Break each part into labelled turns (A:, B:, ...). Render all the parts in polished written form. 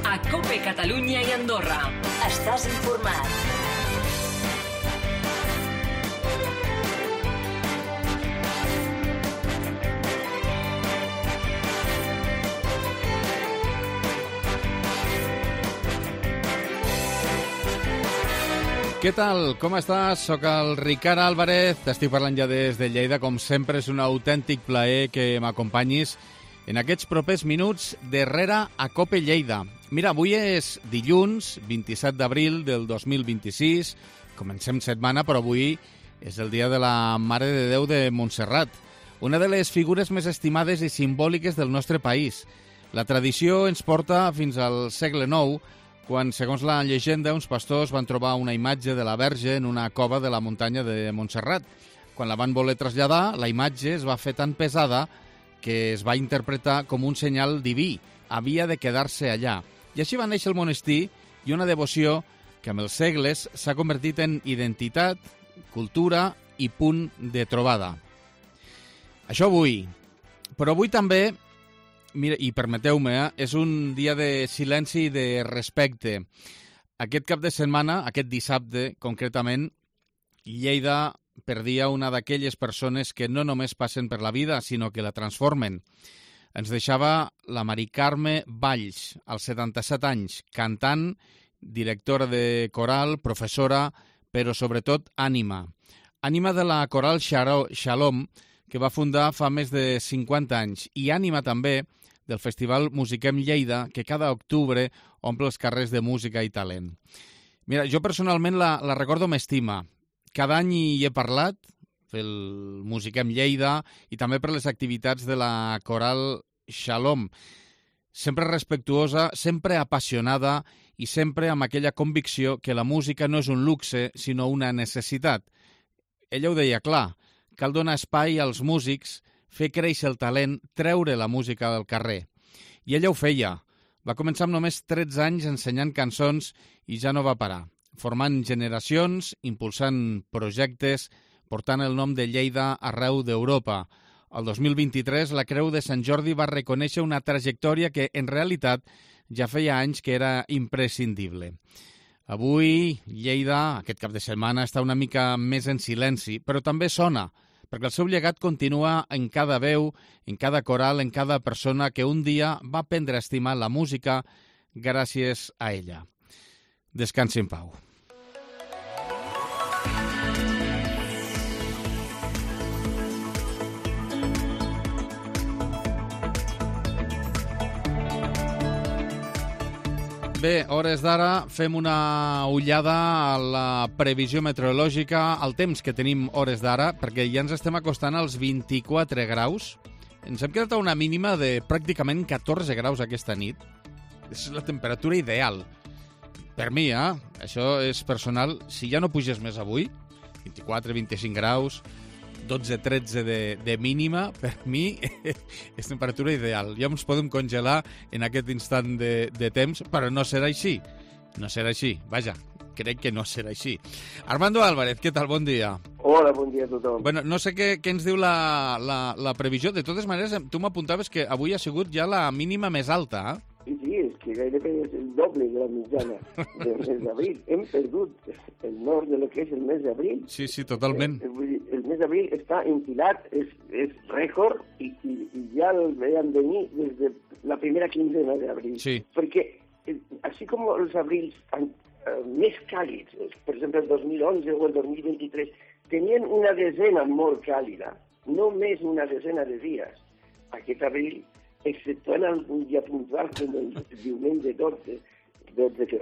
A: a COPE Catalunya i Andorra. Estàs informat.
B: Què tal? Com estàs? Soc el Ricard Álvarez, t'estic parlant ja des de Lleida. Com sempre, és un autèntic plaer que m'acompanyis en aquests propers minuts darrere a COPE Lleida. Mira, avui és dilluns, 27 d'abril del 2026. Comencem setmana, però avui és el dia de la Mare de Déu de Montserrat, una de les figures més estimades i simbòliques del nostre país. La tradició ens porta fins al segle IX, quan, segons la llegenda, uns pastors van trobar una imatge de la Verge en una cova de la muntanya de Montserrat. Quan la van voler traslladar, la imatge es va fer tan pesada que es va interpretar com un senyal diví. Havia de quedar-se allà. I així va néixer el monestir i una devoció que amb els segles s'ha convertit en identitat, cultura i punt de trobada. Això avui. Però avui també, mira, i permeteu-me, és un dia de silenci i de respecte. Aquest cap de setmana, aquest dissabte, concretament, Lleida perdia una d'aquelles persones que no només passen per la vida, sinó que la transformen. Ens deixava la Mari Carme Valls, als 77 anys, cantant, directora de coral, professora, però sobretot ànima. Ànima de la coral Shalom, que va fundar fa més de 50 anys, i ànima també del Festival Musiquem Lleida, que cada octubre omple els carrers de música i talent. Mira, jo personalment la recordo amb estima. Cada any hi he parlat, pel Musiquem Lleida, i també per les activitats de la coral Shalom. Sempre respectuosa, sempre apassionada i sempre amb aquella convicció que la música no és un luxe, sinó una necessitat. Ella ho deia clar, cal donar espai als músics, fer créixer el talent, treure la música del carrer. I ella ho feia. Va començar amb només 13 anys ensenyant cançons i ja no va parar, formant generacions, impulsant projectes, portant el nom de Lleida arreu d'Europa. El 2023 la Creu de Sant Jordi va reconèixer una trajectòria que, en realitat, ja feia anys que era imprescindible. Avui, Lleida, aquest cap de setmana, està una mica més en silenci, però també sona, perquè el seu llegat continua en cada veu, en cada coral, en cada persona que un dia va aprendre a estimar la música gràcies a ella. Descansi en pau. Bé, hores d'ara fem una ullada a la previsió meteorològica, al temps que tenim hores d'ara, perquè ja ens estem acostant als 24 graus. Ens hem quedat a una mínima de pràcticament 14 graus aquesta nit. És la temperatura ideal. Per mi, això és personal. Si ja no puges més avui, 24, 25 graus, 12-13 de mínima, per mi és temperatura ideal. Ja ens podem congelar en aquest instant de temps, però no serà així. No serà així. Vaja, crec que no serà així. Armando Álvarez, què tal? Bon dia.
C: Hola, bon dia a tothom.
B: Bueno, no sé què ens diu la previsió. De totes maneres, tu m'apuntaves que avui ha sigut ja la mínima més alta,
C: Sí, és que gairebé és el doble de la mitjana del mes d'abril. Hem perdut el nord de lo que és el mes d'abril.
B: Sí, totalment.
C: El mes d'abril està enfilat, és rècord, i ja el veiem venir des de la primera quinzena d'abril.
B: Sí.
C: Perquè, així com els abrils més càlids, per exemple el 2011 o el 2023, tenien una desena molt càlida, només una desena de dies. Aquest abril, exceptuant algun dia puntual com el diumenge 12,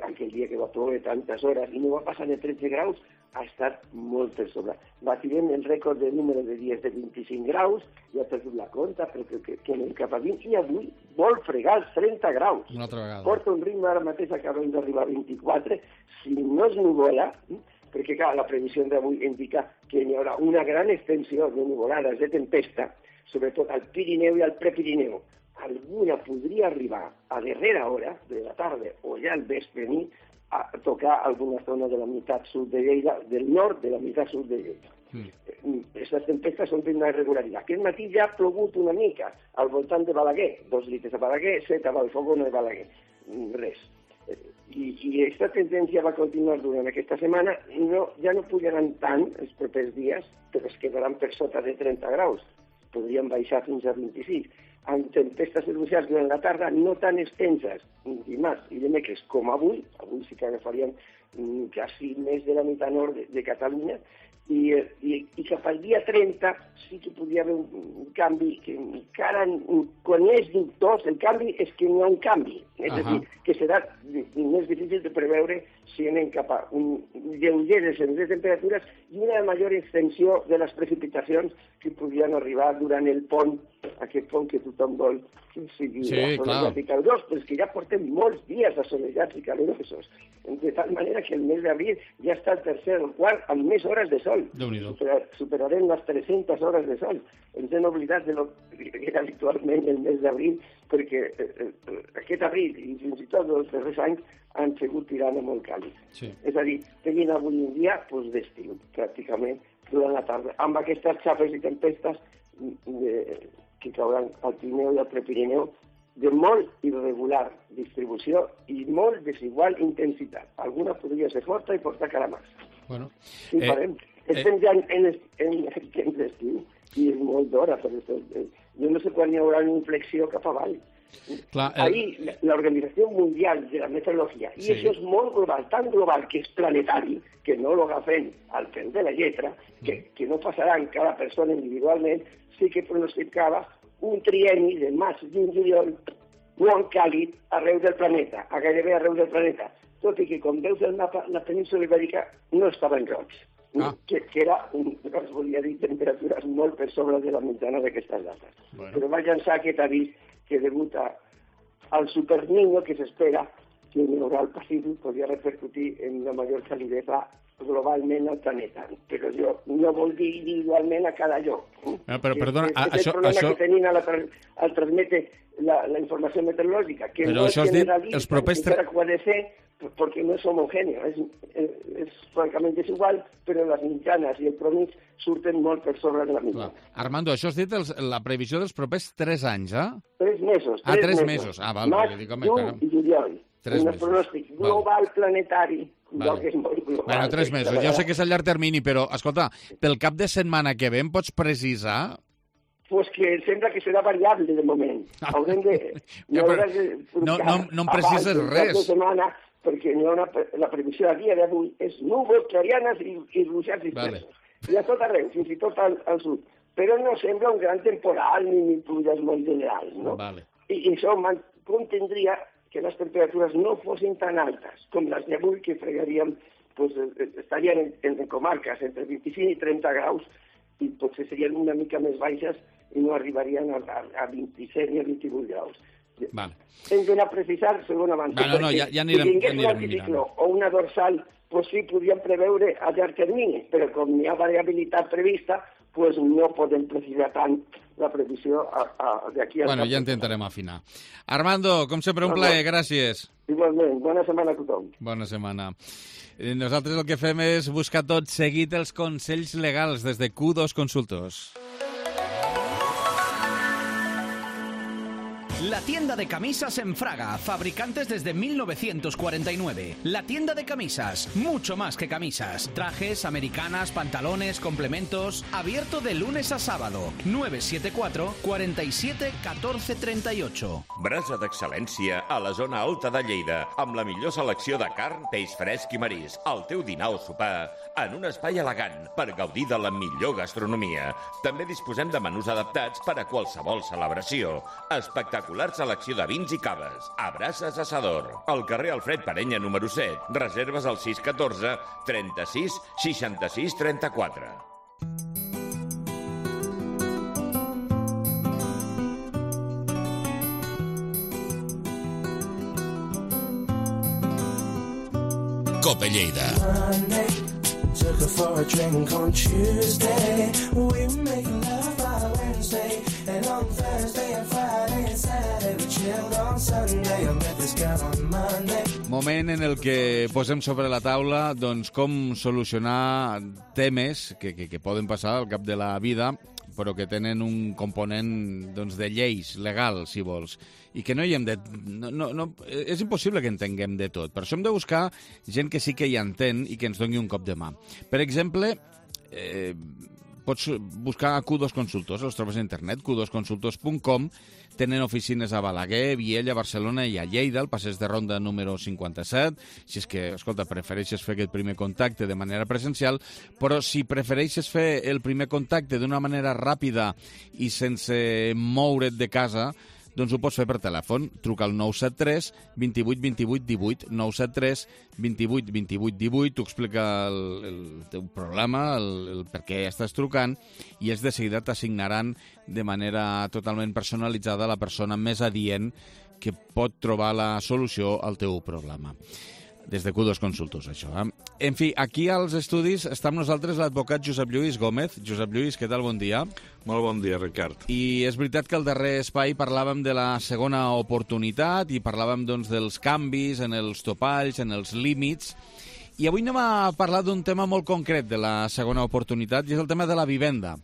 C: aquell dia que va ploure tantes hores i no va passar de 13 graus, ha estat molt per sobre. Batirem el rècord de número de dies de 25 graus, ja ha perdut la compta, però que anem cap a 20, i avui vol fregar els 30 graus.
B: Una altra vegada.
C: Porta un ritme, ara mateix acabem d'arribar a 24, si no es nuvola, perquè clar, la previsió d'avui indica que hi haurà una gran extensió de nuvolades, de tempesta, sobretot al Pirineu i al Prepirineu. Alguna podria arribar a darrera hora de la tarda o ja al vespre nit a tocar alguna zona de la meitat sud de Lleida, del nord de la meitat sud de Lleida. Aquestes tempestes són d'una irregularitat. Aquest matí ja ha plogut una mica al voltant de Balaguer, 2 litres a Balaguer, 7 a Vallfogona de Balaguer. Res. I aquesta tendència va continuar durant aquesta setmana i ja no pujaran tant els propers dies, però es quedaran per sota de 30 graus. Podrien baixar fins a 26. Amb tempestes enuncials durant la tarda no tan extenses, dimarts i dimecres com avui sí que agafaríem quasi més de la meitat nord de Catalunya, i cap al dia 30 sí que podria haver un canvi que encara, quan és dubtós, el canvi és que no hi ha un canvi. És a dir, que serà més difícil de preveure si anem cap a un lleuger descens de temperatures i una major extensió de les precipitacions que podrien arribar durant el pont, aquest pont que tothom vol que sigui assolellat i calorós, però és que ja portem molts dies assolellats i calorosos, de tal manera que el mes d'abril ja està el tercer o quart amb més hores de sol. Superarem les 300 hores de sol. Ens hem oblidat de lo que era habitualment el mes d'abril, perquè aquest abril i fins i tot els darrers anys han sigut tirant molt càlids. Sí. És a dir, tenim avui un dia d'estiu, pràcticament, durant la tarda, amb aquestes xafes i tempestes que cauran al Pirineu i al Prepirineu de molt irregular distribució i molt desigual intensitat. Alguna podria ser forta i portar calamars.
B: Bueno,
C: sí, estem ja en temps d'estiu i és molt d'hora, però jo no sé quan hi haurà una inflexió cap avall. Ahí l'Organització Mundial de la Meteorologia, i això és molt global, tan global que és planetari, que no lo agafem al peu de la lletra, que no passarà en cada persona individualment, sí que pronosticava un trienni de maig i juliol molt càlid arreu del planeta, a gairebé arreu del planeta, tot i que, com veus el mapa, la península ibèrica no estava en roig, que era, es volia dir, temperatures molt per sobre de la mitjana d'aquestes dates. Però va llançar aquest avís que degut al superniño que s'espera que en el Pacífic podria repercutir en una major calidesa globalment al planeta. Però no vol dir individualment a cada lloc.
B: Però perdona,
C: és el problema que tenim al transmetre la informació meteorològica, que no és generalista, encara que ho ha de ser, perquè no és homogèneo, és francament desigual, però les mitjanes i el promig surten molt per sobre de la mitjana.
B: Armando, això has dit la previsió dels propers 3 anys, eh?
C: 3 mesos.
B: 3 mesos. Val.
C: Maig, juny i juliol. Un pronòstic global planetari. Que és molt global.
B: Bueno, 3 mesos. Ja sé que és a llarg termini, però, escolta, pel cap de setmana que ve em pots precisar?
C: Pues que sembla que serà variable de moment. Haurem de...
B: No em precises res.
C: Perquè la previsió a dia d'avui és núvols clarianes i ruixats dispersos. I a tot arreu, fins i tot al sud. Però no sembla un gran temporal ni pluges molt generals, no? I això contendria que les temperatures no fossin tan altes com les d'avui, que fregaríem, estarien en comarques entre 25 i 30 graus i potser serien una mica més baixes i no arribarien a 27 ni a 28 graus. Hem d'anar a precisar segon avançat.
B: Ja anirem
C: mirant. O una dorsal, sí, podríem preveure a llarg termini, però com hi ha variabilitat prevista, no podem precisar tant la previsió d'aquí a...
B: Ja intentarem afinar. Armando, com sempre, un plaer, gràcies.
C: Igualment, bona setmana a tothom.
B: Bona setmana. Nosaltres el que fem és buscar tot seguit els consells legals des de Q2 Consultors.
D: La tienda de camisas en Fraga, fabricantes desde 1949. La tienda de camisas, mucho más que camisas. Trajes, americanas, pantalones, complementos. Abierto de lunes a sábado. 974 47 14 38.
E: Brasa d'excel·lència a la zona alta de Lleida, amb la millor selecció de carn, peix fresc i marisc. El teu dinar o sopar en un espai elegant per gaudir de la millor gastronomia. També disposem de menús adaptats per a qualsevol celebració. Espectacular selecció de vins i caves. A Brases Assador. Al carrer Alfred Parenya, número 7. Reserves al 614 36 66 34.
F: Cope Lleida.
G: Took her for a drink on Tuesday. We were making love by Wednesday. And on Thursday and Friday and Saturday we chilled on Sunday. I met this girl on Monday.
B: Moment en el que posem sobre la taula com solucionar temes que poden passar al cap de la vida però que tenen un component doncs, de lleis legal, si vols, i que no hi hem de... és impossible que entenguem de tot. Per això hem de buscar gent que sí que hi entén i que ens doni un cop de mà. Per exemple, pots buscar a Q2 Consultors, els trobes a internet, q2consultors.com, tenen oficines a Balaguer, Viella, Barcelona i a Lleida, al passeig de Ronda número 57, si és que, escolta, prefereixes fer aquest primer contacte de manera presencial, però si prefereixes fer el primer contacte d'una manera ràpida i sense moure't de casa, doncs ho pots fer per telèfon. Truca al 973 28 28 18, 973 28 28 18, t'ho explica el teu problema, el per què estàs trucant, i ells de seguida t'assignaran de manera totalment personalitzada la persona més adient que pot trobar la solució al teu problema. Des de Q2 Consultors, això. En fi, aquí als estudis està amb nosaltres l'advocat Josep Lluís Gómez. Josep Lluís, què tal? Bon dia.
H: Molt bon dia, Ricard.
B: I és veritat que al darrer espai parlàvem de la segona oportunitat i parlàvem doncs, dels canvis en els topalls, en els límits. I avui anem a parlar d'un tema molt concret de la segona oportunitat, i és el tema de la vivenda.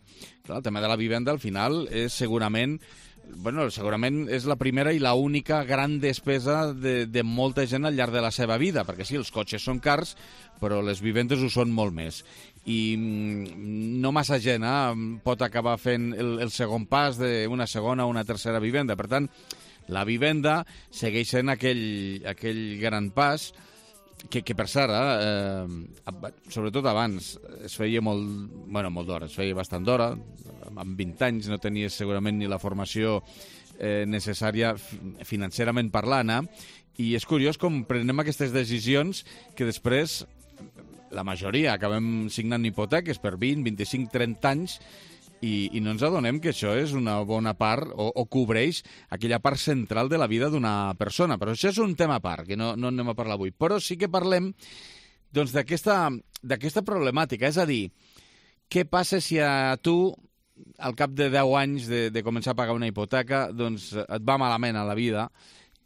B: Clar, el tema de la vivenda, al final, és segurament és la primera i la única gran despesa de molta gent al llarg de la seva vida, perquè sí, els cotxes són cars, però les vivendes ho són molt més. I no massa gent pot acabar fent el segon pas d'una segona o una tercera vivenda. Per tant, la vivenda segueix sent aquell gran pas que per cert, sobretot abans, es feia molt d'hora, es feia bastant d'hora. Amb 20 anys no tenies segurament ni la formació necessària financerament parlant, i és curiós com prenem aquestes decisions que després la majoria acabem signant hipoteques per 20, 25, 30 anys i no ens adonem que això és una bona part o cobreix aquella part central de la vida d'una persona. Però això és un tema a part, que no anem a parlar avui. Però sí que parlem doncs, d'aquesta problemàtica, és a dir, què passa si a tu, al cap de 10 anys de començar a pagar una hipoteca, doncs et va malament a la vida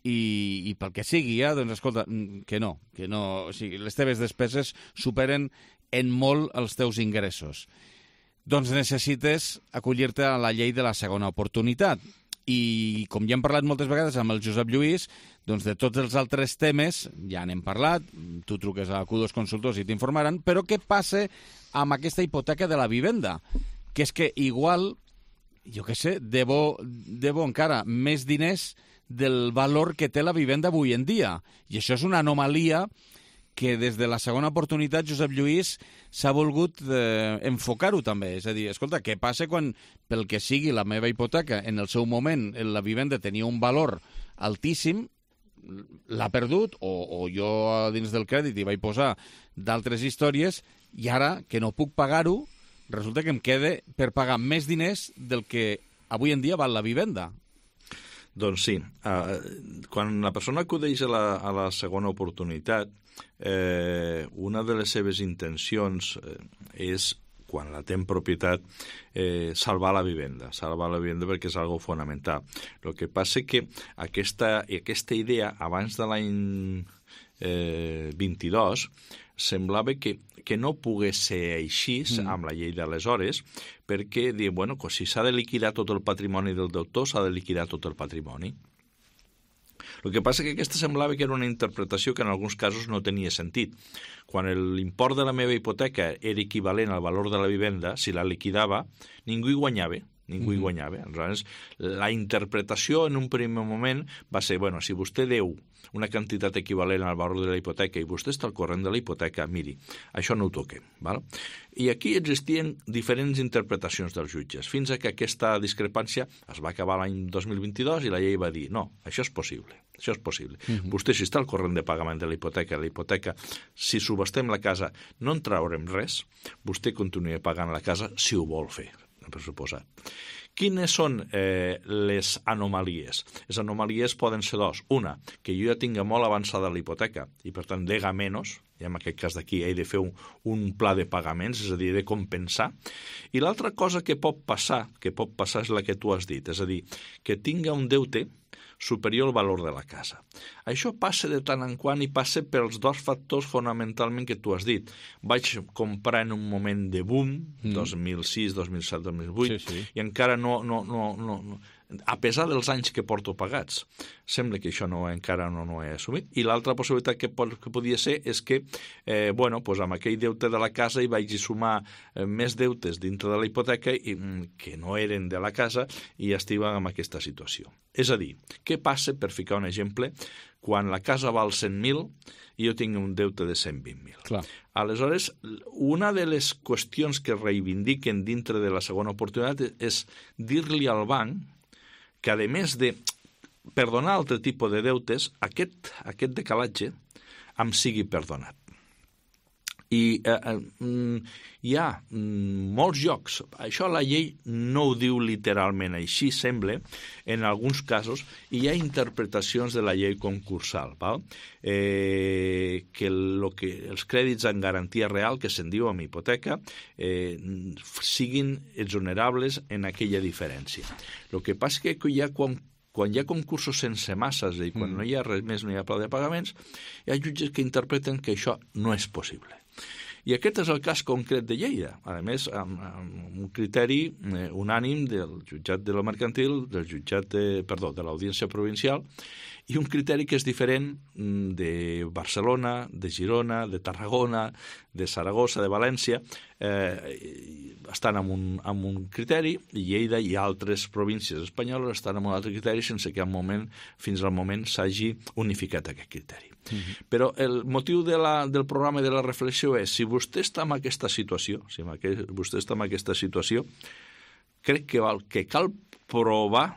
B: i pel que sigui, doncs escolta, que no, o sigui, les teves despeses superen en molt els teus ingressos. Doncs necessites acollir-te a la llei de la segona oportunitat. I com ja hem parlat moltes vegades amb el Josep Lluís, doncs de tots els altres temes ja n'hem parlat, tu truques a Q2 Consultors i t'informaran, però què passa amb aquesta hipoteca de la vivenda? Que és que igual, jo què sé, debo encara més diners del valor que té la vivenda avui en dia. I això és una anomalia que des de la segona oportunitat, Josep Lluís, s'ha volgut enfocar-ho també. És a dir, escolta, què passa quan, pel que sigui la meva hipoteca, en el seu moment la vivenda tenia un valor altíssim, l'ha perdut, o jo dins del crèdit hi vaig posar d'altres històries, i ara, que no puc pagar-ho, resulta que em queda per pagar més diners del que avui en dia val la vivenda.
H: Doncs sí. Quan la persona acudeix a la segona oportunitat, una de les seves intencions és, quan la té en propietat, salvar la vivenda perquè és algo fonamental. El que passa que aquesta idea, abans de l'any 22, semblava que no pogués ser així amb la llei d'aleshores, perquè diuen, bueno, si s'ha de liquidar tot el patrimoni del deutor, s'ha de liquidar tot el patrimoni. El que passa que aquesta semblava que era una interpretació que en alguns casos no tenia sentit. Quan l'import de la meva hipoteca era equivalent al valor de la vivenda, si la liquidava, ningú hi guanyava. Aleshores, la interpretació en un primer moment va ser, bueno, si vostè deu una quantitat equivalent al valor de la hipoteca i vostè està al corrent de la hipoteca, miri, això no ho toquem. Val? I aquí existien diferents interpretacions dels jutges, fins a que aquesta discrepància es va acabar l'any 2022 i la llei va dir, no, això és possible. Vostè, si està al corrent de pagament de la hipoteca, si subestem la casa no en traurem res, vostè continua pagant la casa si ho vol fer, per suposat. Quines són les anomalies? Les anomalies poden ser dos. Una, que jo ja tinga molt avançada la hipoteca i, per tant, dega menys, i en aquest cas d'aquí he de fer un pla de pagaments, és a dir, de compensar. I l'altra cosa que pot passar és la que tu has dit, és a dir, que tinga un deute superior al valor de la casa. Això passa de tant en quant i passa pels dos factors fonamentalment que tu has dit. Vaig comprar en un moment de boom, 2006, 2007, 2008, sí. I encara no, a pesar dels anys que porto pagats. Sembla que això encara no ho he assumit. I l'altra possibilitat que podia ser és que, amb aquell deute de la casa hi vaig sumar més deutes dintre de la hipoteca que no eren de la casa i estic en aquesta situació. És a dir, què passa, per ficar un exemple, quan la casa val 100.000 i jo tinc un deute de 120.000?
B: Clar.
H: Aleshores, una de les qüestions que reivindiquen dintre de la segona oportunitat és dir-li al banc que, a més de perdonar altre tipus de deutes, aquest decalatge em sigui perdonat. I hi ha molts llocs, això la llei no ho diu literalment així, sembla, en alguns casos, i hi ha interpretacions de la llei concursal, val? Que els crèdits en garantia real, que se'n diu amb hipoteca, siguin exonerables en aquella diferència. El que passa és que quan hi ha concursos sense masses i quan no hi ha res més, no hi ha pla de pagaments, hi ha jutges que interpreten que això no és possible. I aquest és el cas concret de Lleida, a més, amb un criteri unànim del jutjat de la mercantil, de l'Audiència Provincial, i un criteri que és diferent de Barcelona, de Girona, de Tarragona, de Saragossa, de València, estan amb un criteri, i Lleida i altres províncies espanyoles estan amb un altre criteri sense que fins al moment s'hagi unificat aquest criteri. Però el motiu del programa de la reflexió és, si vostè està en aquesta situació, crec que cal provar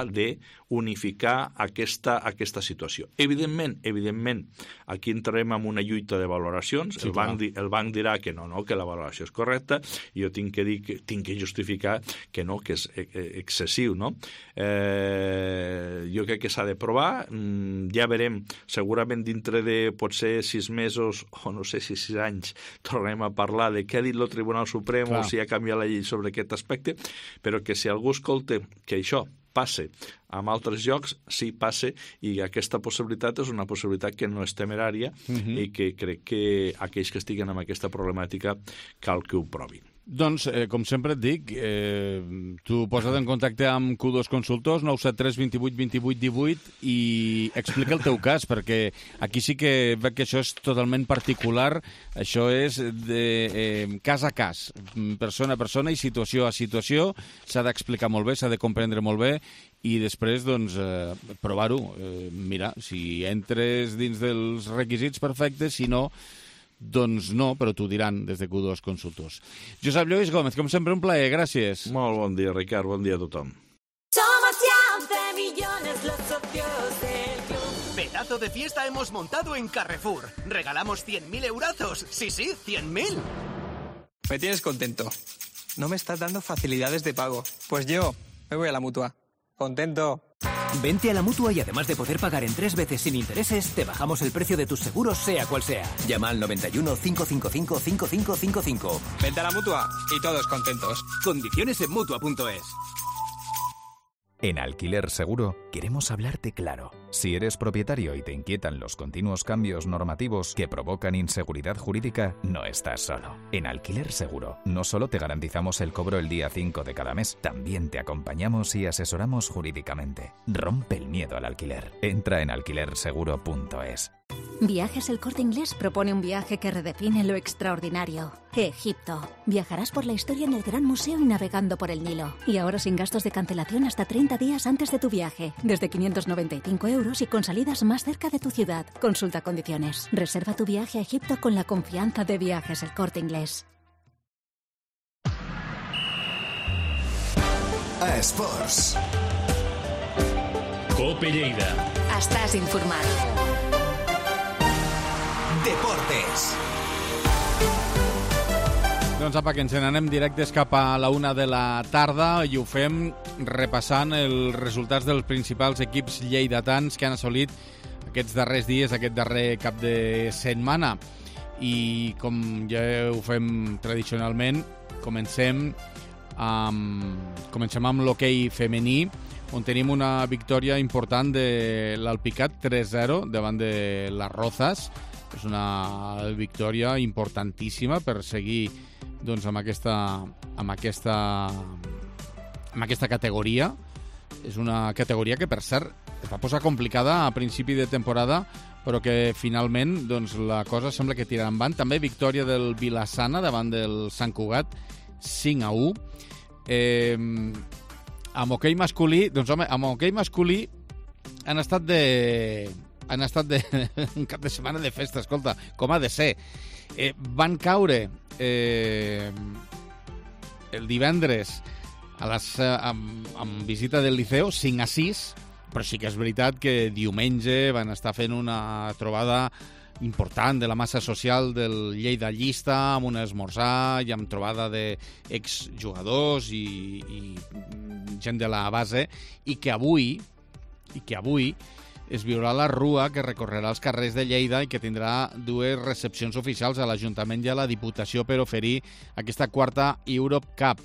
H: de unificar aquesta situació. Evidentment, aquí entrarem en una lluita de valoracions. Sí, el banc dirà que no, que la valoració és correcta, i jo tinc que justificar que no, que és excessiu, no? Jo crec que s'ha de provar, ja veurem, segurament dintre de potser 6 mesos, o no sé si 6 anys, tornarem a parlar de què ha dit el Tribunal Suprem o si ha canviat la llei sobre aquest aspecte, però que si algú escolta que això passe en altres llocs, sí, passe, i aquesta possibilitat és una possibilitat que no és temerària i que crec que aquells que estiguen amb aquesta problemàtica cal que ho provin.
B: Doncs, com sempre et dic, tu posa't en contacte amb Q2 Consultors, 973 28 28 18, i explica el teu cas, perquè aquí sí que veig que això és totalment particular, això és de cas a cas, persona a persona i situació a situació, s'ha d'explicar molt bé, s'ha de comprendre molt bé, i després, doncs, provar-ho. Mira, si entres dins dels requisits, perfectes, si no, doncs no, però t'ho diran des de Q2 Consultors. Josep Lluís Gómez, com sempre, un plaer, gràcies.
H: Molt bon dia, Ricard, bon dia a tothom.
A: Somos ya 11 millones los socios del club.
D: Pedazo de fiesta hemos montado en Carrefour. Regalamos 100.000 eurazos. Sí, 100.000.
I: Me tienes contento. No me estás dando facilidades de pago. Pues yo me voy a la Mutua. Contento.
J: Vente a la Mutua y además de poder pagar en 3 veces sin intereses, te bajamos el precio de tus seguros, sea cual sea. Llama al 91 555 5555.
I: Vente a la Mutua y todos contentos.
J: Condiciones en Mutua.es.
K: En Alquiler Seguro queremos hablarte claro. Si eres propietario y te inquietan los continuos cambios normativos que provocan inseguridad jurídica, no estás solo. En Alquiler Seguro no solo te garantizamos el cobro el día 5 de cada mes, también te acompañamos y asesoramos jurídicamente. Rompe el miedo al alquiler. Entra en alquilerseguro.es.
L: Viajes El Corte Inglés propone un viaje que redefine lo extraordinario. Egipto. Viajarás por la historia en el Gran Museo y navegando por el Nilo. Y ahora sin gastos de cancelación hasta 30 días antes de tu viaje. Desde 595 euros y con salidas más cerca de tu ciudad. Consulta condiciones. Reserva tu viaje a Egipto con la confianza de Viajes El Corte Inglés.
M: A Esports.
A: Cope Lleida. Estàs informat.
M: Deportes.
B: Doncs apa, que ens n'anem directes cap a la 1 de la tarda i ho fem repassant els resultats dels principals equips lleidatans que han assolit aquests darrers dies, aquest darrer cap de setmana. I com ja ho fem tradicionalment, comencem amb l'hoquei femení, on tenim una victòria important de l'Alpicat 3-0 davant de les Rozas. És una victòria importantíssima per seguir doncs, amb aquesta categoria. És una categoria que, per cert, es va posar complicada a principi de temporada, però que finalment doncs, la cosa sembla que tirarà endavant. També victòria del Vilassana davant del Sant Cugat, 5-1. Amb hoquei masculí, doncs home, amb hoquei masculí han estat un cap de setmana de festa, escolta, com ha de ser. Van caure el divendres amb visita del Liceo 5-6, però sí que és veritat que diumenge van estar fent una trobada important de la massa social del Lleida Llista, amb un esmorzar i amb trobada d'exjugadors i gent de la base, i que avui es viurà la rua que recorrerà els carrers de Lleida i que tindrà dues recepcions oficials a l'Ajuntament i a la Diputació per oferir aquesta quarta Europe Cup.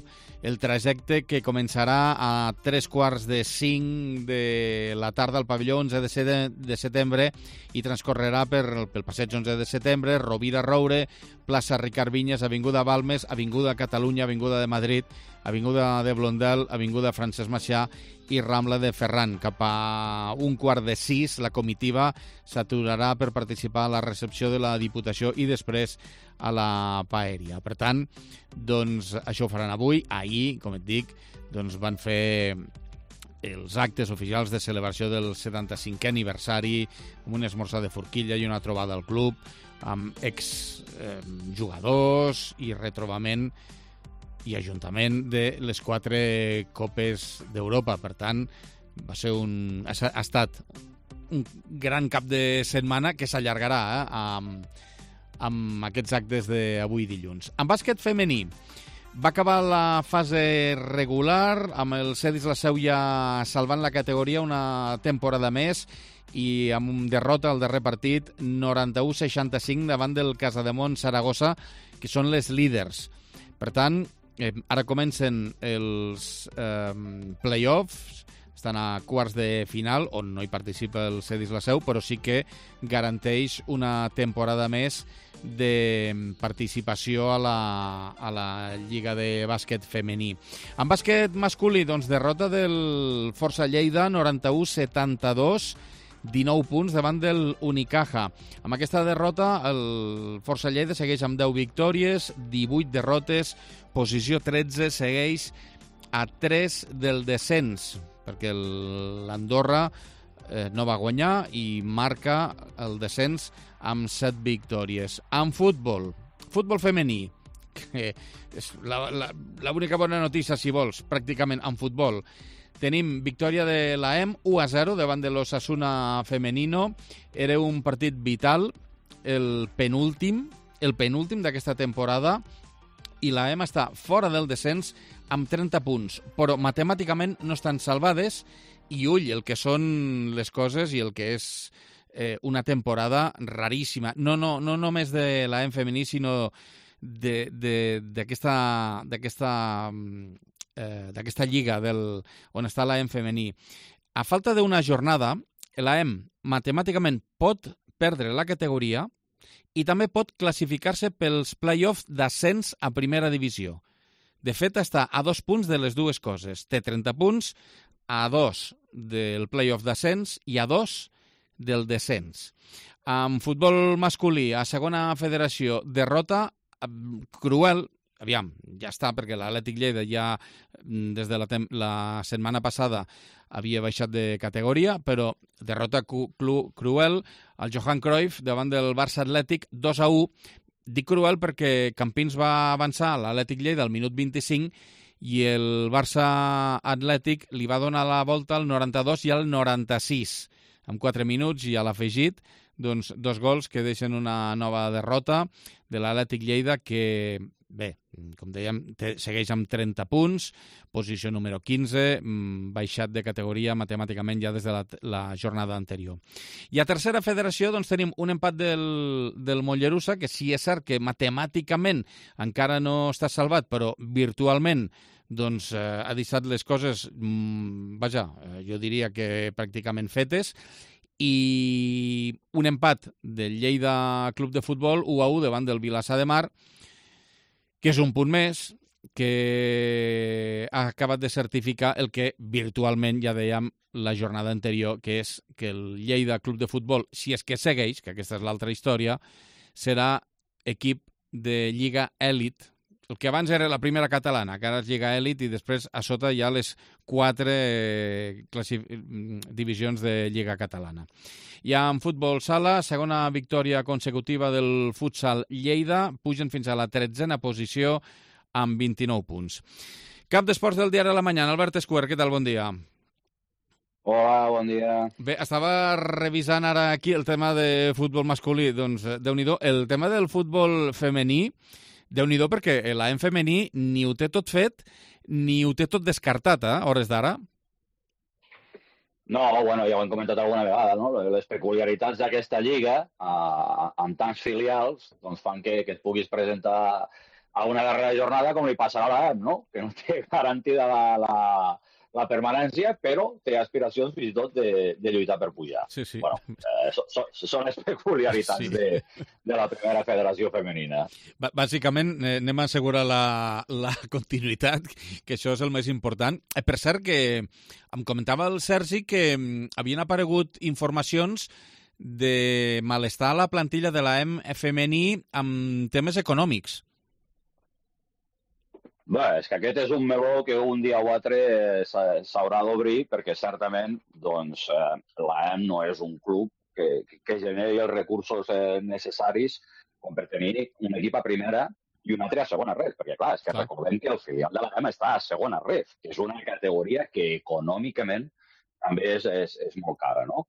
B: El trajecte, que començarà a 3:45 de la tarda al pavelló 11 de setembre i transcorrerà pel passeig 11 de setembre, Rovira Roure, plaça Ricard Vinyes, avinguda Balmes, avinguda Catalunya, avinguda de Madrid, avinguda de Blondel, avinguda Francesc Macià i Rambla de Ferran. Cap a 5:15 la comitiva s'aturarà per participar a la recepció de la Diputació i després a la Paeria. Per tant, doncs, això ho faran avui. Ahir, com et dic, doncs van fer els actes oficials de celebració del 75è aniversari, amb un esmorzar de forquilla i una trobada al club, amb exjugadors i retrobament i ajuntament de les 4 Copes d'Europa. Per tant, ha estat un gran cap de setmana que s'allargarà amb aquests actes d'avui dilluns. En bàsquet femení, va acabar la fase regular amb el Cedis la Seu ja salvant la categoria una temporada més i amb derrota al darrer partit 91-65 davant del Casademont Saragossa, que són les líders. Per tant, ara comencen els play-offs, estan a quarts de final, on no hi participa el Cedis la Seu, però sí que garanteix una temporada més de participació a la Lliga de Bàsquet femení. En bàsquet masculí, doncs, derrota del Força Lleida, 91-72, 19 punts davant del Unicaja. Amb aquesta derrota, el Força Lleida segueix amb 10 victòries, 18 derrotes, posició 13, segueix a 3 del descens, perquè l'Andorra no va guanyar i marca el descens amb 7 victòries. En futbol femení, que és l'única bona notícia, si vols, pràcticament en futbol, tenim victòria de l'AEM 1-0 davant de l'Osasuna Femenino. Era un partit vital, el penúltim d'aquesta temporada, i l'AEM està fora del descens amb 30 punts, però matemàticament no estan salvades, i ull, el que són les coses i el que és una temporada raríssima, no només de l'AEM femení, sinó d'aquesta lliga on està l'AEM femení. A falta d'una jornada, l'AEM matemàticament pot perdre la categoria i també pot classificar-se pels play-offs d'ascens a primera divisió. De fet, està a 2 punts de les dues coses. Té 30 punts, a 2 del play-off d'ascens i a 2 del descens. En futbol masculí, a segona federació, derrota cruel. Aviam, ja està, perquè l'Atlètic Lleida ja des de la setmana passada havia baixat de categoria, però derrota cruel al Johan Cruyff davant del Barça Atlètic 2-1. Dic cruel perquè Campins va avançar a l'Atlètic Lleida al minut 25 i el Barça Atlètic li va donar la volta al 92 i al 96, amb 4 minuts i a l'afegit doncs 2 gols que deixen una nova derrota de l'Atlètic Lleida que, bé, com dèiem, segueix amb 30 punts, posició número 15, baixat de categoria matemàticament ja des de la jornada anterior. I a tercera federació doncs, tenim un empat del Mollerussa, que sí és cert que matemàticament encara no està salvat, però virtualment doncs, ha deixat les coses, jo diria que pràcticament fetes, i un empat del Lleida Club de Futbol 1-1 davant del Vilassar de Mar, que és un punt més, que ha acabat de certificar el que virtualment ja dèiem la jornada anterior, que és que el Lleida Club de Futbol, si és que segueix, que aquesta és l'altra història, serà equip de Lliga Èlit, el que abans era la primera catalana, que ara és Lliga Èlit, i després a sota hi ha les 4 divisions de Lliga Catalana. I en futbol sala, segona victòria consecutiva del futsal Lleida, pugen fins a la 13a posició amb 29 punts. Cap d'esports del diari La Mañana, Albert Escuer, què tal? Bon dia.
N: Hola, bon dia.
B: Bé, estava revisant ara aquí el tema de futbol masculí. Doncs, Déu-n'hi-do, el tema del futbol femení, Déu-n'hi-do, perquè l'AM femení ni ho té tot fet, ni ho té tot descartat, a hores d'ara.
N: No, bueno, ja ho hem comentat alguna vegada, no? Les peculiaritats d'aquesta lliga, amb tants filials, doncs fan que et puguis presentar a una darrera jornada com li passarà a l'AM, no? Que no té garantida la permanència, però té aspiracions fins i tot de lluitar per pujar.
B: Sí, sí.
N: Bueno, són les peculiaritats de la primera federació femenina.
B: Bàsicament, anem a assegurar la continuïtat, que això és el més important. Per cert, que em comentava el Sergi que havien aparegut informacions de malestar a la plantilla de l'AM femení amb temes econòmics.
N: Bé, és que aquest és un meló que un dia o altre s'haurà d'obrir, perquè certament doncs, l'AM no és un club que generi els recursos necessaris com per tenir un equip a primera i un altre a segona ref, perquè clar, és que recordem que el filial de l'AM està a segona ref, que és una categoria que econòmicament també és molt cara, no?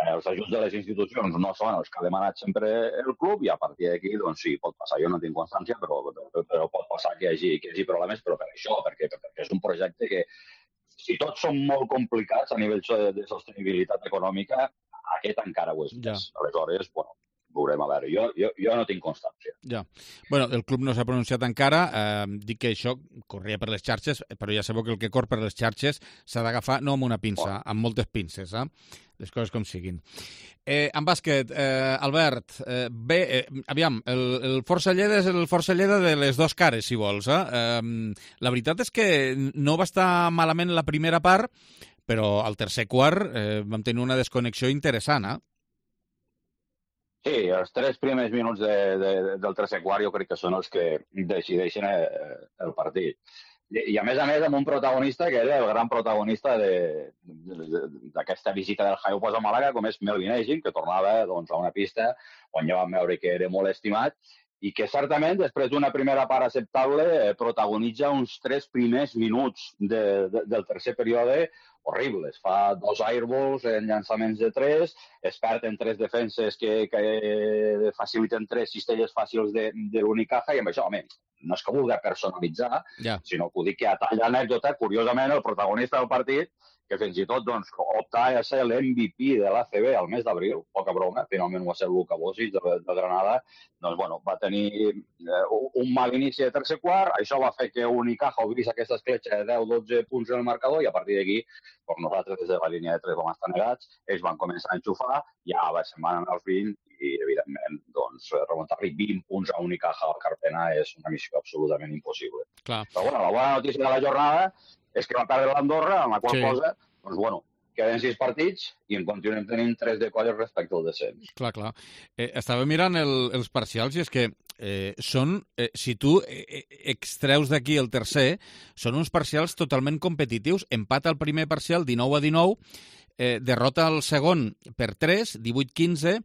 N: Els ajuts de les institucions no són els que ha demanat sempre el club i a partir d'aquí, doncs sí, pot passar. Jo no tinc constància, però pot passar que hi hagi problemes, però per això, perquè és un projecte que, si tots són molt complicats a nivell de sostenibilitat econòmica, aquest encara ho és més. Aleshores, bueno, veurem a veure. Jo no tinc constància.
B: Ja. Bueno, el club no s'ha pronunciat encara. Dic que això corria per les xarxes, però ja sabeu que el que cor per les xarxes s'ha d'agafar no amb una pinça, amb moltes pinces, les coses com siguin. En bàsquet, Albert, bé, aviam, el Força Lleida és el Força Lleida de les dues cares, si vols. La veritat és que no va estar malament la primera part, però al tercer quart vam tenir una desconnexió interessant,
N: Sí, els 3 primers minuts del tercer quart jo crec que són els que decideixen el partit. I a més, amb un protagonista que era el gran protagonista d'aquesta visita del Jaipos a Màlaga, com és Melvin Egin, que tornava doncs, a una pista on ja vam veure que era molt estimat i que certament, després d'una primera part acceptable, protagonitza uns 3 primers minuts del tercer període horribles. Fa 2 airballs en llançaments de 3, es perd en 3 defenses que faciliten 3 cistelles fàcils de l'Unicaja, i amb això, home, no és que vulgui personalitzar, sinó que ho dic que a tall d'anècdota, curiosament, el protagonista del partit, que fins i tot doncs, optava a ser l'MVP de l'ACB al mes d'abril, poca broma, finalment va ser Luka Bosic de Granada, doncs, bueno, va tenir un mal inici de tercer quart, això va fer que Unicaja obrís aquesta escletxa de 10-12 punts en el marcador, i a partir d'aquí, doncs nosaltres des de la línia de 3 vam estar negats, ells van començar a enxufar, ja se'n van anar als 20, i evidentment, doncs, remuntar-li 20 punts a Unicaja al Carpena és una missió absolutament impossible.
B: Clar.
N: Però bueno, la bona notícia de la jornada és que va perdre l'Andorra, amb la qual cosa, doncs bueno, queden 6 partits i en continuem tenint 3 de colles respecte al descens.
B: Clar. Estava mirant els parcials i és que són, si tu extreus d'aquí el tercer, són uns parcials totalment competitius. Empat al primer parcial, 19-19, derrota al segon per 3, 18-15,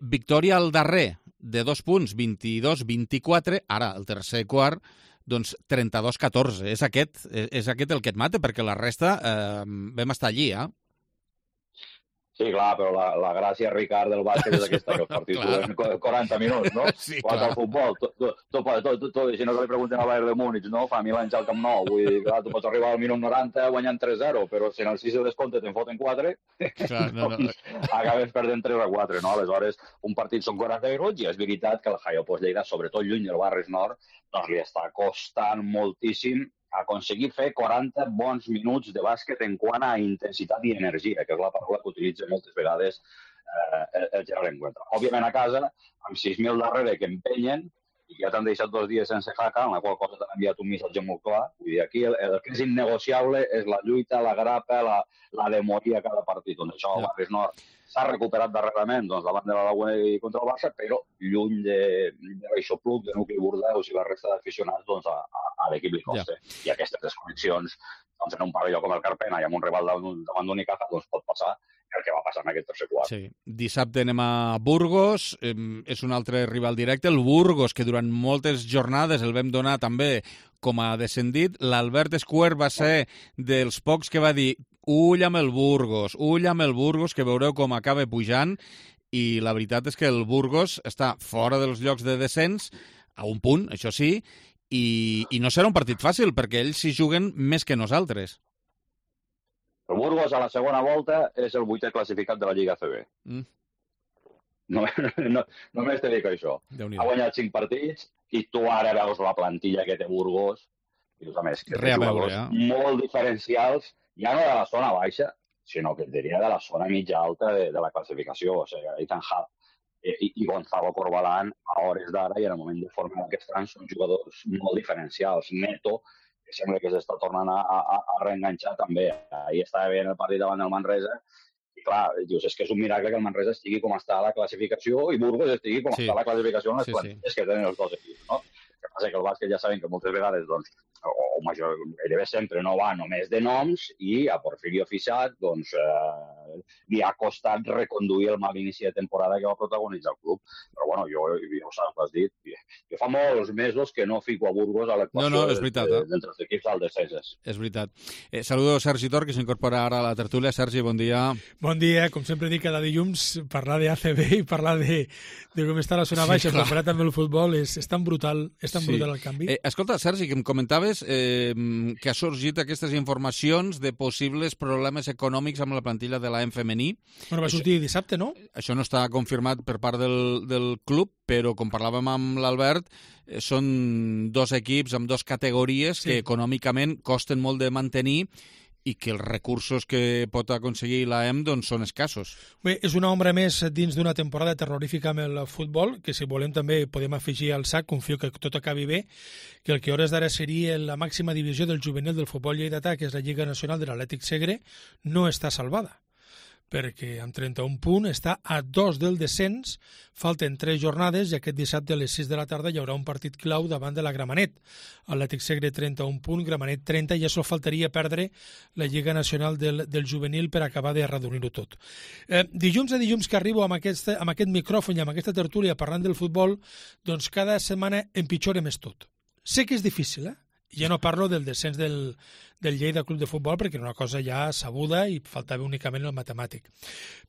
B: victòria al darrer de 2 punts, 22-24, ara el tercer quart, doncs 32-14. És aquest el que et mata, perquè la resta vam estar allí,
N: Sí, clar, però la gràcia, Ricard, del bàsquet és aquesta, que els partits duren 40 minuts, no?
B: Sí,
N: Quan al futbol, si no que li pregunten al Bayern de Múnich, no? Fa 1000 anys al Camp Nou, vull dir, clar, tu pots arribar al minut 90 guanyant 3-0, però si en el 6 de descompte te'n foten 4, doncs acabes perdent 3-4, no? Aleshores, un partit són 40 minuts i és veritat que el Haio Lleida, sobretot lluny del Barris Nord, doncs li està costant moltíssim aconseguir fer 40 bons minuts de bàsquet en quant a intensitat i energia, que és la paraula que utilitza moltes vegades el Gerard Encuentra. Òbviament a casa, amb 6.000 darrere que empenyen, i ja t'han deixat 2 dies sense jaca, en la qual cosa t'han enviat un missatge molt clar. Vull dir, aquí el que és innegociable és la lluita, la grapa, la de morir a cada partit. Doncs això al Barris Nord s'ha recuperat darrerament davant de la Laguna i contra el Barça, però lluny de l'aixopluc, de Nucli Bordeus i la resta d'aficionats, doncs a l'equip li costa. I aquestes desconnexions, doncs en un pavelló com el Carpena i amb un rival davant d'Unicaja, doncs pot passar el que va passar en aquest tercer quart.
B: Sí. Dissabte anem a Burgos, és un altre rival directe, el Burgos, que durant moltes jornades el vam donar també com a descendit. L'Albert Escuer va ser dels pocs que va dir ull amb el Burgos, que veureu com acaba pujant, i la veritat és que el Burgos està fora dels llocs de descens, a un punt, això sí, i no serà un partit fàcil, perquè ells s'hi juguen més que nosaltres.
N: El Burgos a la segona volta és el 8è classificat de la Lliga ACB. Només te dic això. Ha guanyat 5 partits i tu ara veus la plantilla que té Burgos i a més que té jugadors molt diferencials, ja no de la zona baixa, sinó que et diria de la zona mitja alta de la classificació. O sigui, Ethan Hall i Gonzalo Corbalán a hores d'ara i en el moment de forma que estan són jugadors molt diferencials. Neto, que sembla que s'està tornant a reenganxar també. Ahir estava bé en el partit davant del Manresa i clar, dius, és que és un miracle que el Manresa estigui com està a la classificació i Burgos estigui com està a la classificació en les plantilles que tenen els dos equips, no? El que passa que el bàsquet ja sabem que moltes vegades, doncs, o gairebé sempre no va només de noms i a Porfirio Fisac, doncs, li ha costat reconduir el mal inici de temporada que va protagonitzar el club. Però, bueno, jo ho saps, ho has dit, jo fa molts mesos que no fico a Burgos a l'equació d'entre els equips al descenses.
B: És veritat. Saludo Sergi Tor, que s'incorpora ara a la tertúlia. Sergi, bon dia.
O: Bon dia. Com sempre dic, cada dilluns parlar d'ACB i parlar de com està la zona baixa, comparat amb el futbol, és tan brutal, brutal el canvi.
B: Escolta, Sergi, que em comentaves que ha sorgit aquestes informacions de possibles problemes econòmics amb la plantilla de l'AM femení.
O: Bueno, va sortir dissabte, no?
B: Això no està confirmat per part del club, però com parlàvem amb l'Albert, són 2 equips amb 2 categories que econòmicament costen molt de mantenir i que els recursos que pot aconseguir l'AM doncs, són escassos.
O: Bé, és una ombra més dins d'una temporada terrorífica amb el futbol, que si volem també podem afegir al sac, confio que tot acabi bé, que el que hores d'ara seria la màxima divisió del juvenil del futbol lleidatà, que és la Lliga Nacional de l'Atlètic Segre, no està salvada, perquè amb 31 punts està a 2 del descens, falten 3 jornades i aquest dissabte a les 6 de la tarda hi haurà un partit clau davant de la Gramenet. L'Atlètic Segre 31 punts, Gramenet 30, i això faltaria perdre la Lliga Nacional del Juvenil per acabar de reduir-ho tot. Dilluns a dilluns que arribo amb aquest micròfon i amb aquesta tertúlia parlant del futbol, doncs cada setmana empitjora més tot. Sé que és difícil, ja no parlo del descens del Lleida Club de Futbol perquè era una cosa ja sabuda i faltava únicament el matemàtic.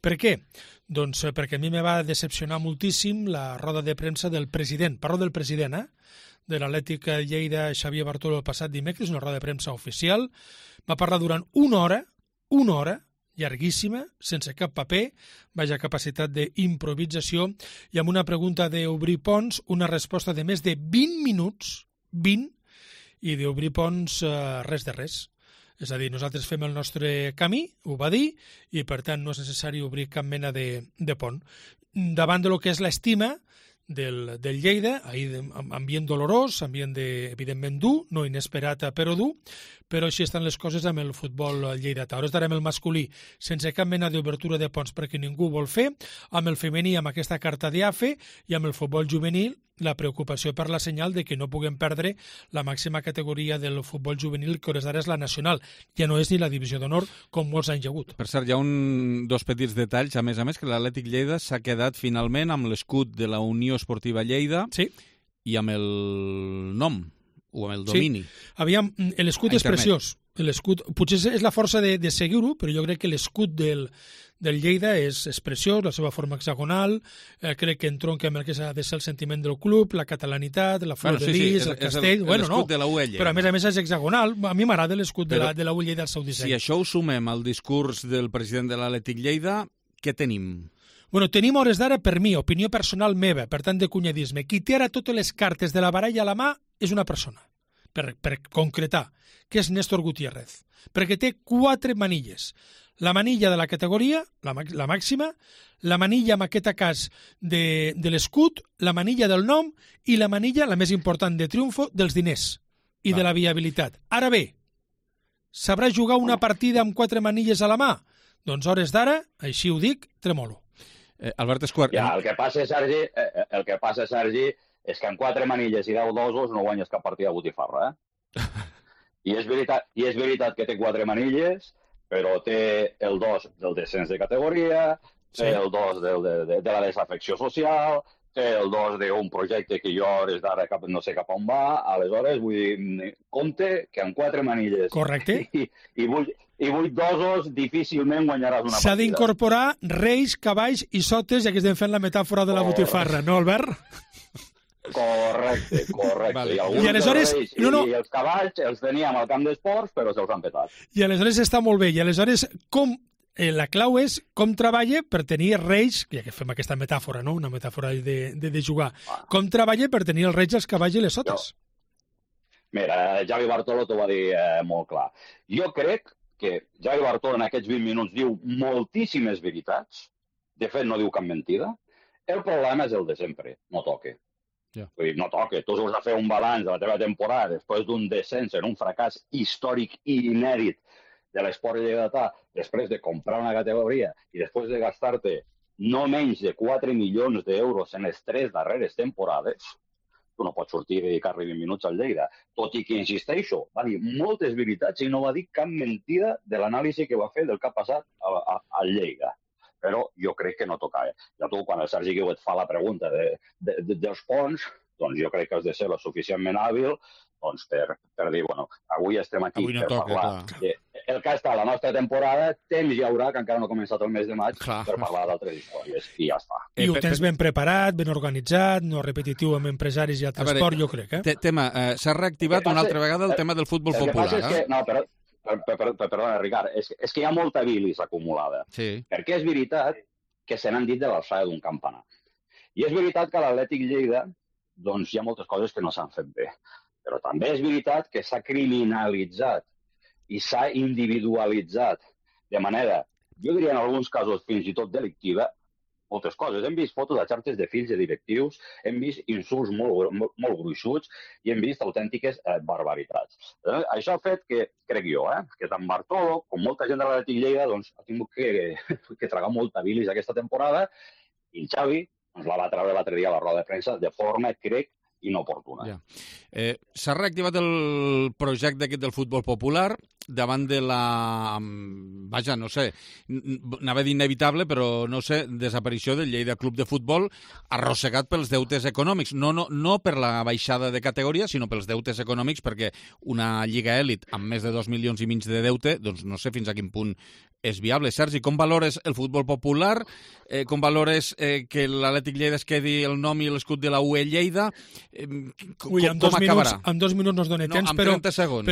O: Per què? Doncs perquè a mi me va decepcionar moltíssim la roda de premsa del president, parlo del president, de l'Atlètic Lleida, Xavier Bartolo, el passat dimecres, una roda de premsa oficial. Va parlar durant una hora, llarguíssima, sense cap paper, vaja capacitat d'improvisació, i amb una pregunta d'obrir ponts, una resposta de més de 20 minuts, 20, i d'obrir ponts res de res. És a dir, nosaltres fem el nostre camí, ho va dir, i per tant no és necessari obrir cap mena de pont. Davant de lo que és l'estima del Lleida, ahir ambient dolorós, ambient evidentment dur, no inesperat però dur, però així estan les coses amb el futbol lleidatà. Ara estarem el masculí sense cap mena d'obertura de ponts perquè ningú vol fer, amb el femení amb aquesta carta d'IAFE i amb el futbol juvenil la preocupació per la senyal de que no puguem perdre la màxima categoria del futbol juvenil, que hores d'ara és la nacional. Ja no és ni la divisió d'honor, com molts anys hi ha hagut.
B: Per cert, hi ha dos petits detalls, a més, que l'Atlètic Lleida s'ha quedat finalment amb l'escut de la Unió Esportiva Lleida i amb el nom o amb el domini.
O: Sí. Aviam, l'escut és preciós. L'escut, potser és la força de seguir-ho, però jo crec que l'escut del Lleida és preciós, la seva forma hexagonal, crec que entronca amb el que s'ha de ser el sentiment del club, la catalanitat, la flor de lis, el castell...
B: És l'escut de la UE Lleida.
O: Però a més és hexagonal. A mi m'agrada l'escut de la UE Lleida al seu disseny.
B: Si això ho sumem al discurs del president de l'Atlètic Lleida, què tenim?
O: Bueno, tenim hores d'ara, per mi, opinió personal meva, per tant de cunyadisme. Qui té ara totes les cartes de la baralla a la mà és una persona, per concretar, que és Néstor Gutiérrez, perquè té 4 manilles. La manilla de la categoria, la màxima, la manilla, en aquest cas, de l'escut, la manilla del nom i la manilla, la més important de triomfo, dels diners i de la viabilitat. Ara bé, sabrà jugar una partida amb 4 manilles a la mà? Doncs hores d'ara, així ho dic, tremolo.
B: Albert Esquart...
N: Ja, el que passa, Sergi, és que amb 4 manilles i 10 dosos no guanyes cap partida de botifarra, I és veritat que té 4 manilles, però té el 2 del descens de categoria, té el 2 de la desafecció social, té el 2 d'un projecte que jo hores d'ara no sé cap on va, aleshores vull dir, compte que amb 4 manilles i 8 dosos difícilment guanyaràs una partida.
O: S'ha d'incorporar reis, cavalls i sotes, ja que estem fent la metàfora de la botifarra, no, Albert?
N: Correcte. Vale. I alguns
O: aleshores,
N: dels reis i els cavalls els teníem al camp d'esports, però se'ls han petat.
O: I aleshores està molt bé. I aleshores, la clau és com treballa per tenir reis, ja que fem aquesta metàfora, no? Una metàfora de jugar. Com treballa per tenir els reis, els cavalls i les sotes?
N: Mira, Javi Bartolo t'ho va dir molt clar. Jo crec que Javi Bartolo en aquests 20 minuts diu moltíssimes veritats. De fet, no diu cap mentida. El problema és el de sempre. No toque. Vull dir, no toca. Tu has de fer un balanç de la teva temporada després d'un descens en un fracàs històric i inèdit de l'esport lleidatà, després de comprar una categoria i després de gastar-te no menys de 4 milions d'euros en les 3 darreres temporades, tu no pots sortir i dedicar-li 20 minuts al Lleida. Tot i que, insisteixo, va dir moltes veritats i no va dir cap mentida de l'anàlisi que va fer del que ha passat al Lleida. Però jo crec que no tocava. Ja tu, quan el Sergi Guiu et fa la pregunta dels ponts, doncs jo crec que has de ser lo suficientment hàbil doncs per dir, bueno, avui estem aquí per parlar. El que està a la nostra temporada, temps hi haurà, que encara no ha començat el mes de maig, per parlar d'altres històries, i ja està.
O: I ho tens ben preparat, ben organitzat, no repetitiu amb empresaris i al transport, jo crec.
B: Tema, s'ha reactivat una altra vegada el tema del futbol popular.
N: No, però perdona, Ricard, és que hi ha molta bilis acumulada. Perquè és veritat que se n'han dit de l'alçada d'un campanar. I és veritat que a l'Atlètic Lleida doncs hi ha moltes coses que no s'han fet bé. Però també és veritat que s'ha criminalitzat i s'ha individualitzat de manera, jo diria en alguns casos fins i tot delictiva, moltes coses. Hem vist fotos de xarxes de fills de directius, hem vist insults molt gruixuts i hem vist autèntiques barbaritats. Això ha fet que, crec jo, que tant Bartolo com molta gent de l'Atlètic Lleida doncs, ha tingut que tragar molta bilis aquesta temporada i el Xavi ens la va treure l'altre dia a la roda de premsa de forma, crec, inoportuna.
B: S'ha reactivat el projecte aquest del futbol popular davant de la... Vaja, no sé, anava a dir inevitable, però no sé, desaparició del Lleida Club de Futbol arrossegat pels deutes econòmics. No per la baixada de categoria, sinó pels deutes econòmics, perquè una lliga èlit amb més de 2,5 milions de deute, doncs no sé fins a quin punt és viable. Sergi, com valores el futbol popular? Com valores que l'Atlètic Lleida es quedi el nom i l'escut de la UE Lleida? Com acabarà?
O: En 2 minuts no es dona temps, però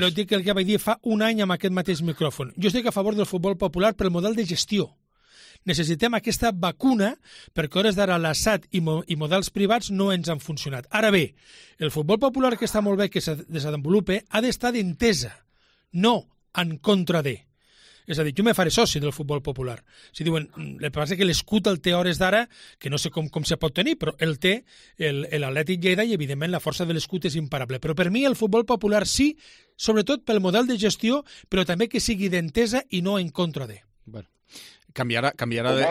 O: et dic que el que vaig dir fa un any amb aquest mateix micròfon. Jo estic a favor del futbol popular pel model de gestió. Necessitem aquesta vacuna perquè hores d'ara l'ASAT i models privats no ens han funcionat. Ara bé, el futbol popular que està molt bé que se desenvolupe ha d'estar d'entesa, no en contra de. És a dir, jo me faré soci del futbol popular. Si diuen, el que passa és que l'escut el té hores d'ara, que no sé com se pot tenir, però el té l'Atlètic Lleida i, evidentment, la força de l'escut és imparable. Però per mi el futbol popular sí, sobretot pel model de gestió, però també que sigui d'entesa i no en contra de.
B: Bueno, canviarà de...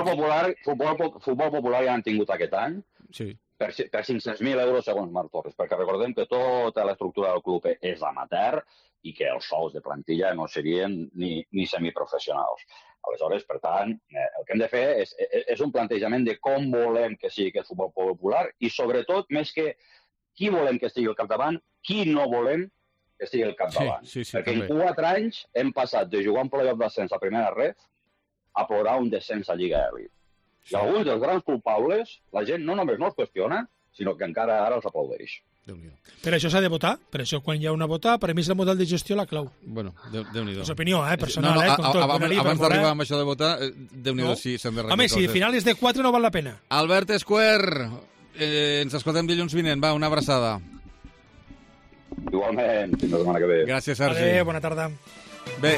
N: Futbol popular ja han tingut aquest any per 500.000 euros segons Marc Torres, perquè recordem que tota l'estructura del club és amateur i que els sous de plantilla no serien ni semiprofessionals. Aleshores, per tant, el que hem de fer és un plantejament de com volem que sigui aquest futbol popular i, sobretot, més que qui volem que estigui al capdavant, qui no volem que sigui el capdavant.
B: Sí,
N: perquè
B: també.
N: en 4 anys hem passat de jugar un playoff d'ascens a primera ref a plorar un descens a Lliga Elite. I alguns dels grans culpables, la gent no només no els qüestiona, sinó que encara ara els aplaudeix.
O: Per això s'ha de votar, per això quan hi ha una vota, per mi és el model de gestió la clau.
B: Bueno, Déu-n'hi-do.
O: És opinió, personal, com tot.
B: Abans d'arribar amb això de votar, Déu-n'hi-do, sí, s'han de recordar.
O: Home, si finals de 4 no val la pena.
B: Albert Esquer, ens escoltem dilluns vinent, va, una abraçada.
N: Igualment, fins la setmana que ve.
B: Gràcies, Sergi.
O: Adéu, bona tarda.
B: Bé,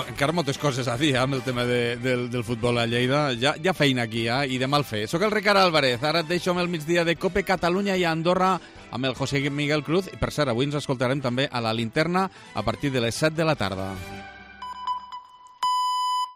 B: encara moltes coses a dir amb el tema del futbol a Lleida. Hi ha feina aquí, i de mal fer. Soc el Ricard Álvarez, ara et deixo amb el migdia de Cope Catalunya i Andorra amb el José Miguel Cruz. I per cert, avui ens escoltarem també a la Linterna a partir de les 7 de la tarda.